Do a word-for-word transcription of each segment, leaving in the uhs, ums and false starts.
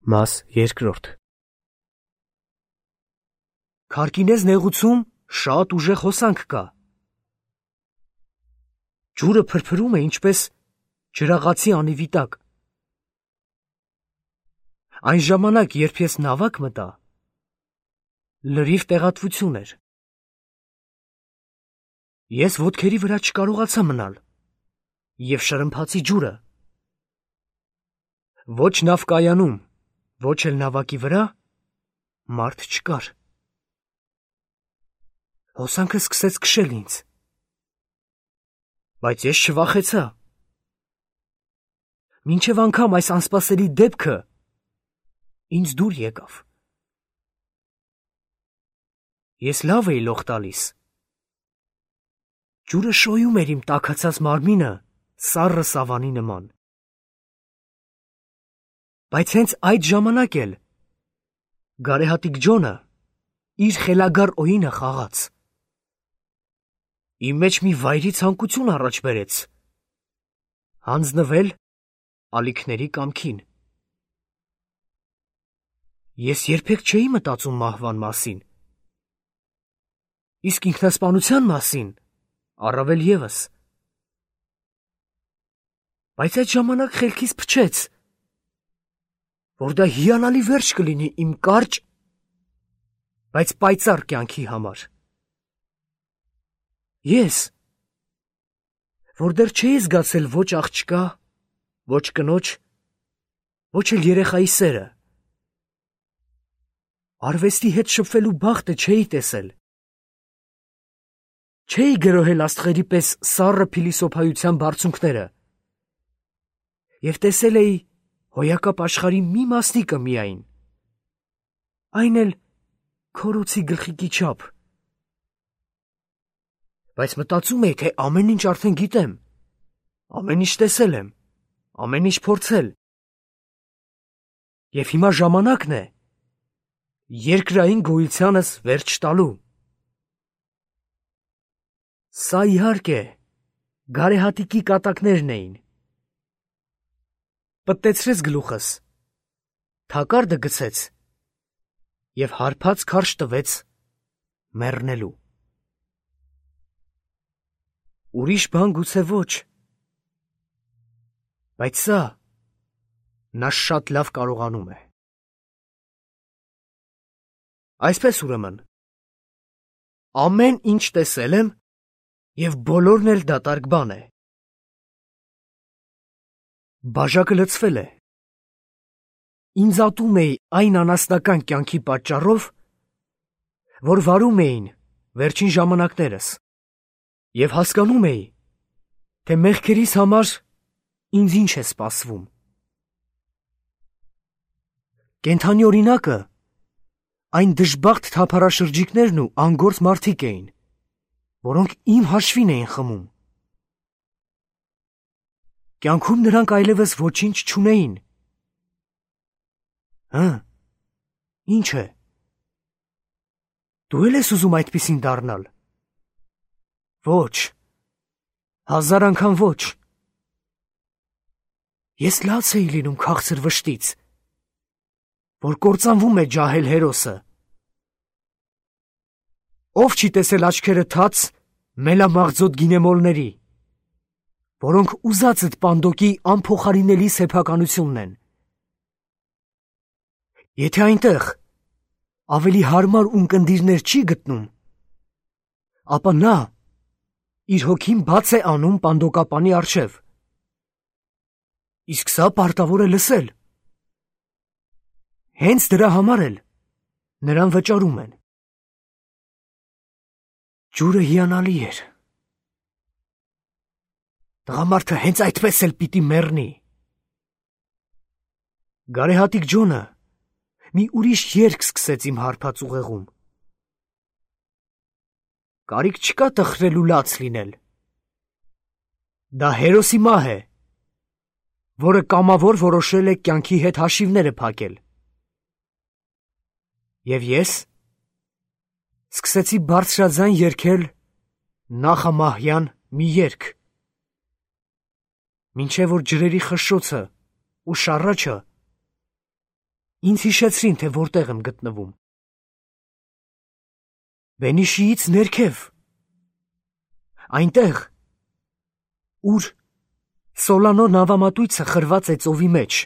Մաս երկրորդ Քարկինեզ նեղուցում շատ ուժեղ հոսանք կա։ Ջուրը փրփրում է ինչպես ջրաղացի անիվի տակ։ Այն ժամանակ, երբ ես նավակ մտա, լրիվ տեղատվություն էր։ Ես ոտքերի վրա չկարողացա մնալ և շրմփացի ջուրը։ Ոչ նավկայանում, ոչ էլ նավակի վրա մարդ չկար։ Հոսանքը սկսեց քշել ինձ, բայց ես չվախեցա։ Մինչև անգամ այս անսպասելի դեպքը ինձ դուր եկավ։ Ես լավ էի լող տալիս։ Ջուրը շոյում էր իմ տաքացած մարմինը սառը սավանի նման։ Բայց հենց այդ ժամանակ էլ գարեհատիկ Ջոնը իր խելագար օինը խաղաց։ Իմ մեջ մի վայրի ցանկություն առաջ բերեց հանձնվել ալիքների կամքին։ Ես երբեք չէի մտածում մահվան մասին, իսկ ինքնասպանության մասին առավել ևս։ Բայց այդ ժամանակ խելքիս փչեց, որ դա հիանալի վերջ կլինի իմ կարճ, բայց պայծառ կյանքի համար։ Ես, որ դեռ չէի զգացել ոչ աղջկա, ոչ կնոջ, ոչ էլ երեխայի սերը, արվեստի հետ շփվելու բախտը չէի տեսել, չէի գրոհել աստղերի պես սառը փիլիսոփայության բարձունքները և տեսել էի հոյակապ աշխարհի մի մասնիկը միայն, այն էլ քորոցի գլխիկի չափ։ Բայց մտածում էի, թե ամեն ինչ արդեն գիտեմ, ամեն ինչ տեսել եմ, ամեն ինչ փորձել։ Եվ հիմա ժամանակն է երկրային գոյությանս վերջ տալու։ Սա իհարկե գարեհատիկի կատակներն էին։ Պտտեցրեց գլուխս, թակարդը գցեց և հարբած քարշ տվեց մեռնելու։ Ուրիշ բան գուցե ոչ, բայց սա նա շատ լավ կարողանում է։ Այսպես ուրեմն, ամեն ինչ տեսել եմ և բոլորն էլ դատարկ բան է։ Բաժակը լցվել է։ Ինձ ատում էի այն անասնական կյանքի պատճառով, որ վարում էին վերջին ժամանակներս, և հասկանում էի, թե մեղքերիս համար ինձ ինչ է սպասվում։ Կենդանի օրինակը այն դժբախտ թափառաշրջիկներն ու անգործ մարդիկ էին, որոնք իմ հաշվին էին խմում։ Կյանքում նրանք այլևս ոչինչ չունեին։ Հը, ինչ է, դու էլ ես ուզում այդպիսին դառնալ։ Ոչ, հազար անգամ ոչ։ Ես լաց էի լինում քաղցր վշտից, որ կործանվում է ջահել հերոսը։ Ով չի տեսել աչքերը թաց մելամաղձոտ գինեմոլների, որոնք ուզածդ Պանդոկի անփոխարինելի սեփականությունն են։ Եթե այնտեղ ավելի հարմար ունկնդիրներ չի գտնում, ապա նա իր հոգին բաց է անում Պանդոկապանի առջև։ Իսկ սա պարտավոր է լսել։ Հենց դրա համար էլ նրան վճարում են։ Ջուրը հիանալի էր։ Տղամարդը հենց այդպես էլ պիտի մեռնի։ Գարեհատիկ Ջոնը մի ուրիշ երգ սկսեց իմ հարբած ուղեղում։ Կարիք չկա տխրել ու լաց լինել։ Դա հերոսի մահ է, որը կամավոր որոշել է կյանքի հետ հաշիվները փակել։ Եվ ես սկսեցի բարձրաձայն երգել նախամահյան մի երգ, մինչև որ ջրերի խշշոցը ու շառաչը ինձ հիշեցրին, թե որտեղ եմ գտնվում։ Բենիշիից ներքև, այնտեղ, ուր Սոլանո նավամատույցը խրված է ծովի մեջ,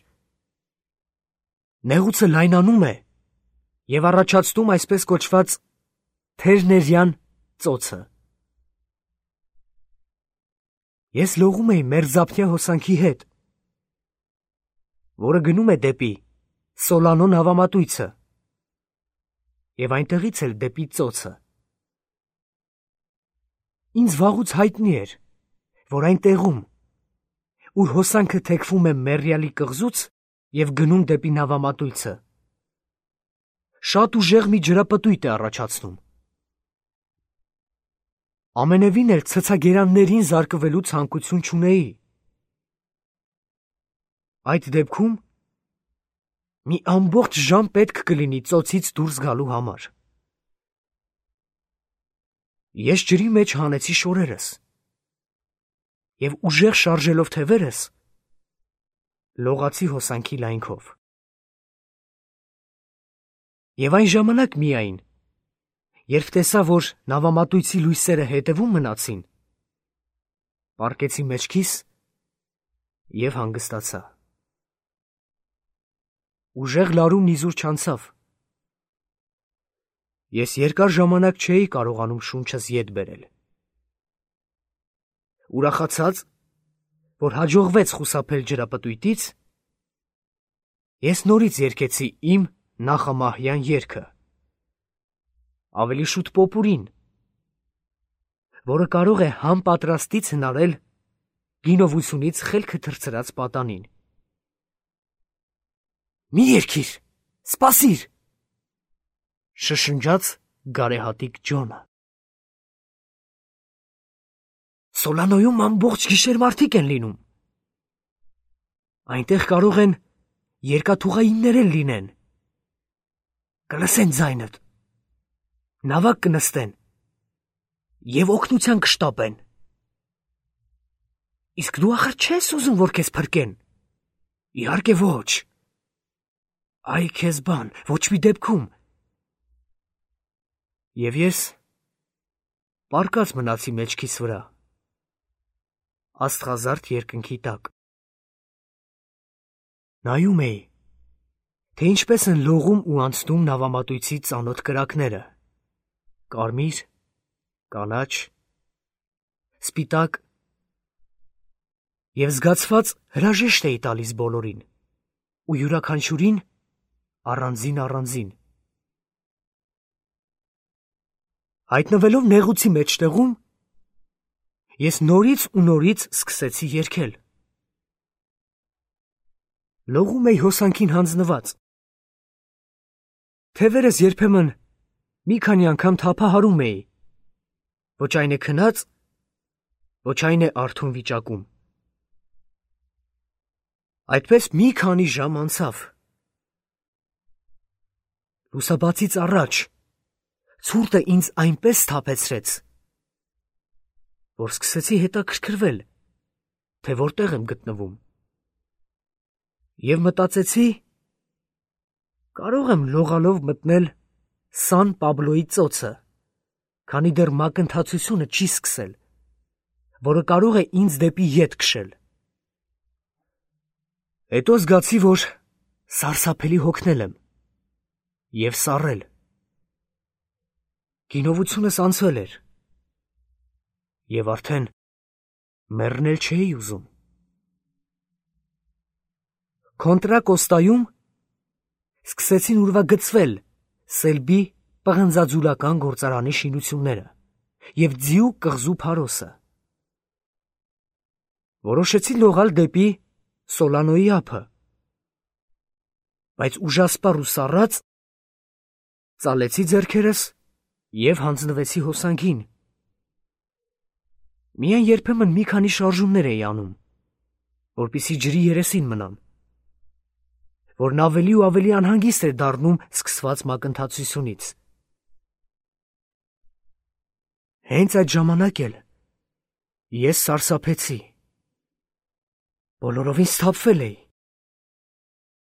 նեղուցը լայնանում է և առաջացնում այսպես կոչված թերներյան ծոցը։ Ես լողում էի մերձափնյա հոսանքի հետ, որը գնում է դեպի Սոլանո նավամատույցը և այնտեղից էլ դեպի ծոցը։ Ինձ վաղուց հայտնի էր, որ այն տեղում, ուր հոսանքը թեքվում է մեռյալի կղզուց և գնում դեպի նավամատույցը, շատ ուժեղ մի ջրապտույտ է առաջացնում։ Ամենևին էլ ցցագերաններին զարկվելու ցանկություն չունեի։ Այդ դեպքում մի ամբողջ ժամ պետք կլինի ծոցից դուրս գալու համար։ Ես ջրի մեջ հանեցի շորերս և ուժեղ շարժելով թևերս, լողացի հոսանքի լայնքով։ Եվ այն ժամանակ միայն, երբ տեսա, որ նավամատույցի լույսերը հետևում մնացին, պառկեցի մեջքիս և հանգստացա։ Ուժեղ լարումն իզուր չանցավ։ Ես երկար ժամանակ չէի կարողանում շունչս ետ բերել։ Ուրախացած, որ հաջողվեց խուսափել ջրապտույտից, ես նորից երգեցի իմ նախամահյան երգը, ավելի շուտ պոպուրին, որը կարող է համ պատրաստից հնարել գինովությունից խելքը թռցրած պատանին։ Մի երգիր, սպասիր, շշնջաց գարեհատիկ Ջոնը։ Սոլանոյում ամբողջ գիշեր մարդիկ են լինում։ Այնտեղ կարող են երկաթուղայիններ էլ լինեն։ Կլսեն ձայնդ, նավակ կնստեն և օգնության կշտապեն։ Իսկ դու ախր չես ուզում, որ քեզ փրկեն։ Իհարկե ոչ։ Այ քեզ բան, ոչ մի դեպքում։ Եվ ես պառկած մնացի մեջքիս վրա, աստղազարդ երկնքի տակ։ Նայում էի, թե ինչպես են լողում ու անցնում նավամատույցի ծանոթ կրակները՝ կարմիր, կանաչ, սպիտակ, և զգացված հրաժեշտ էի տալիս բոլորին ու յուրաքանչյուրին առանձին առանձին։ Հայտնվելով նեղուցի մեջտեղում, ես նորից ու նորից սկսեցի երգել։ Լողում էի հոսանքին հանձնված։ Թևերս երբեմն մի քանի անգամ թափահարում էի, ոչ այն է քնած, ոչ այն է արթուն վիճակում։ Այդպես մի քանի ժամ անցավ։ Լուսաբացից առաջ ցուրտը ինձ այնպես սթափեցրեց, որ սկսեցի հետաքրքրվել, թե որտեղ եմ գտնվում։ Եվ մտածեցի, կարող եմ լողալով մտնել Սան Պաբլոյի ծոցը, քանի դեռ մակընթացությունը չի սկսել, որը կարող է ինձ դեպի ետ քշել։ Հետո զգացի, որ սարսափելի հոգնել եմ և սառել։ Գինովությունս անցել էր, և արդեն մեռնել չէի ուզում։ Կոնտրա Կոստայում սկսեցին ուրվագծվել Սելբի պղնձաձուլական գործարանի շինությունները և ձիու կղզու փարոսը։ Որոշեցի լողալ դեպի Սոլանոյի ափը, բայց ուժասպառ ու սառած ծալեցի ձեռքերս և հանձնվեցի հոսանքին։ Միայն երբեմն մի քանի շարժումներ էի անում, որպեսզի ջրի երեսին մնամ, որն ավելի ու ավելի անհանգիստ էր դառնում սկսված մակընթացությունից։ Հենց այդ ժամանակ էլ ես սարսափեցի։ Բոլորովին սթափվել էի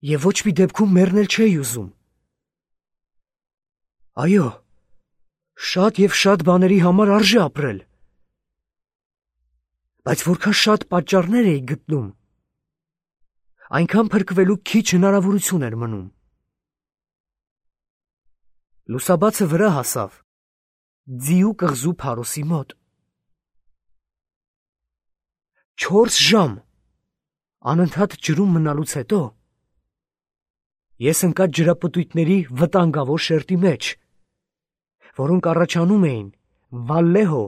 Եվ ոչ մի դեպքում մեռնել չէի ուզում։ Այո, շատ և շատ բաների համար արժե ապրել։ Բայց որքան շատ պատճառներ էի գտնում, այնքան փրկվելու քիչ հնարավորություն էր մնում։ Լուսաբացը վրա հասավ ձիու կղզու փարոսի մոտ։ Չորս ժամ անընդհատ ջրում մնալուց հետո ես ընկա ջրապտույտների վտանգավոր շերտի մեջ, որոնք առաջանում էին Վալլեհո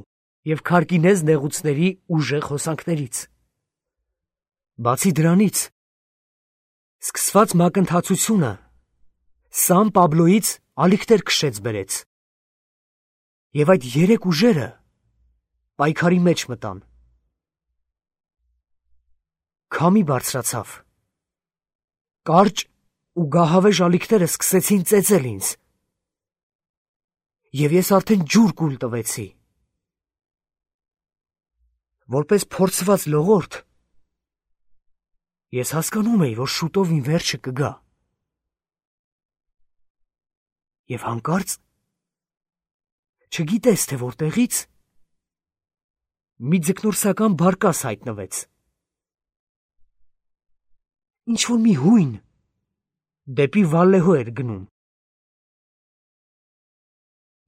և Քարկինեզ նեղուցների ուժեղ հոսանքներից։ Բացի դրանից, սկսված մակընթացությունը Սան Պաբլոյից ալիքներ քշեց բերեց, և այդ երեք ուժերը պայքարի մեջ մտան։ Քամի բարձրացավ, կարճ ու գահավեժ ալիքները սկսեցին ծեծել ինձ, և ես արդեն ջուր կուլ տվեցի։ Որպես փորձված լողորդ, ես հասկանում էի, որ շուտով իմ վերջը կգա։ Եվ հանկարծ, չգիտես թե որտեղից, մի ձկնորսական բարկաս հայտնվեց։ Ինչ-որ մի հույն դեպի Վալլեհո էր գնում։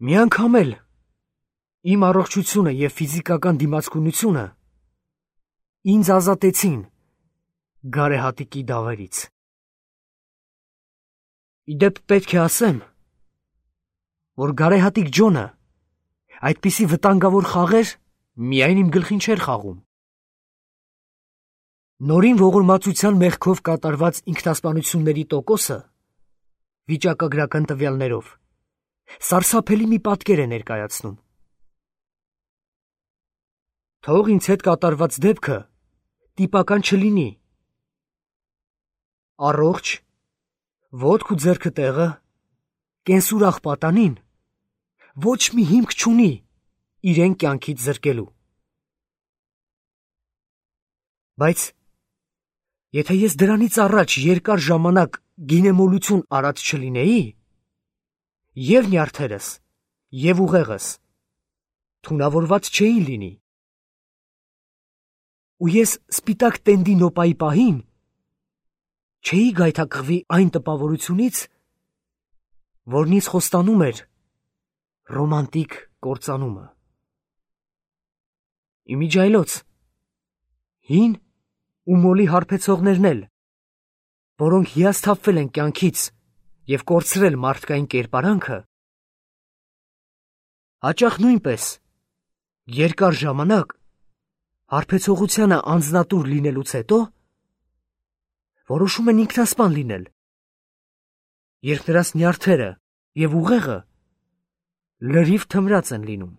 Մի անգամ էլ իմ առողջությունը և ֆիզիկական դիմացկունությունը ինձ ազատեցին գարեհատիկի դավերից։ Ի դեպ պետք է ասեմ, որ գարեհատիկ Ջոնը այդպիսի վտանգավոր խաղեր միայն իմ գլխին չէր խաղում։ Նորին ողորմածության մեղքով կատարված ինքնասպանությունների տոկոսը վիճակագրական տվյալներով սարսափելի մի պատկեր է ներկայացնում։ Թող ինձ հետ կատարված դեպքը տիպական չլինի։ Առողջ, ոտք ու ձեռքը տեղը, կենսուրախ պատանին ոչ մի հիմք չունի իրեն կյանքից զրկելու։ Բայց եթե ես դրանից առաջ երկար ժամանակ գինեմոլություն արած չլինեի, և նյարդերս, և ուղեղս թունավորված չէին լինի, ու ես սպիտակ տենդի նոպայի պահին չէի գայթակղվի այն տպավորությունից, որն ինձ խոստանում էր ռոմանտիկ կործանումը։ Իմիջիայլոց, հին ու մոլի հարբեցողներն էլ, որոնք հիասթափվել են կյանքից և կորցրել մարդկային կերպարանքը, հաճախ նույնպես երկար ժամանակ հարբեցողությանը անձնատուր լինելուց հետո որոշում են ինքնասպան լինել, երբ նրանց նյարդերը և ուղեղը լրիվ թմրած են լինում։